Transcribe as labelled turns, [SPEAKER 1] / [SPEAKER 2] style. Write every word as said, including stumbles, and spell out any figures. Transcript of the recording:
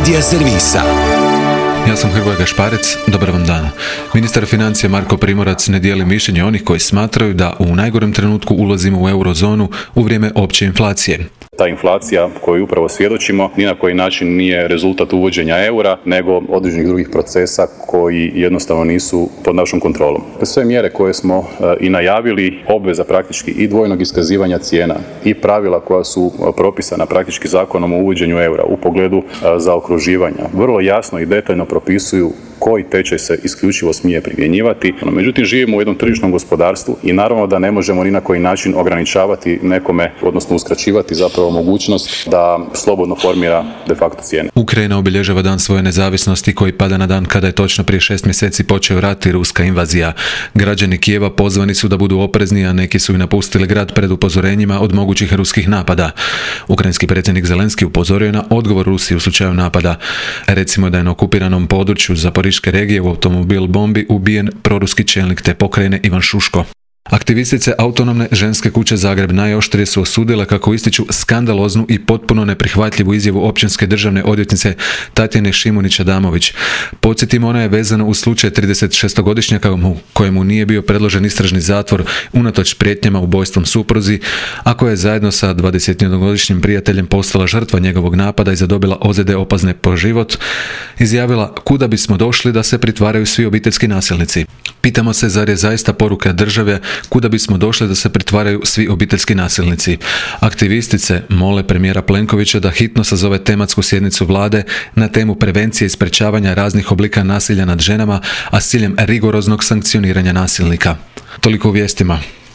[SPEAKER 1] Media servisa.
[SPEAKER 2] Ja sam Hrvoje Gašparec, dobar vam dan. Ministar financija Marko Primorac ne dijeli mišljenje onih koji smatraju da u najgorem trenutku ulazimo u eurozonu u vrijeme opće inflacije.
[SPEAKER 3] Ta inflacija koju upravo svjedočimo ni na koji način nije rezultat uvođenja eura, nego određenih drugih procesa koji jednostavno nisu pod našom kontrolom. Sve mjere koje smo i najavili, obveza praktički i dvojnog iskazivanja cijena i pravila koja su propisana praktički zakonom o uvođenju eura u pogledu zaokruživanja, vrlo jasno i detaljno propisuju koji tečaj se isključivo smije primjenjivati. Međutim, živimo u jednom tržišnom gospodarstvu i naravno da ne možemo ni na koji način ograničavati nekome, odnosno uskraćivati zapravo mogućnost da slobodno formira de facto cijene.
[SPEAKER 2] Ukrajina obilježava dan svoje nezavisnosti koji pada na dan kada je točno prije šest mjeseci počeo rat i ruska invazija. Građani Kijeva pozvani su da budu oprezni, a neki su i napustili grad pred upozorenjima od mogućih ruskih napada. Ukrajinski predsjednik Zelenski upozorio je na odgovor Rusije u slučaju napada. Recimo da je na okupiranom području Zaporiške regije u automobil bombi ubijen proruski čelnik te pokrajine Ivan Šuško. Aktivistice Autonomne ženske kuće Zagreb najoštrije su osudile kako ističu skandaloznu i potpuno neprihvatljivu izjavu općinske državne odvjetnice Tatjane Šimunić-Adamović. Podsjetimo, ona je vezana uz slučaj tridesetšestogodišnjaka kojemu nije bio predložen istražni zatvor unatoč prijetnjama ubojstvom supruzi, a koja je zajedno sa dvadesetjednogodišnjim prijateljem postala žrtva njegovog napada i zadobila ozljede opasne po život, izjavila: kuda bismo došli da se pritvaraju svi obiteljski nasilnici. Pitamo se, zar je zaista poruka države kuda bismo došli da se pritvaraju svi obiteljski nasilnici. Aktivistice mole premijera Plenkovića da hitno sazove tematsku sjednicu vlade na temu prevencije i sprečavanja raznih oblika nasilja nad ženama, a s ciljem rigoroznog sankcioniranja nasilnika. Toliko u vijestima.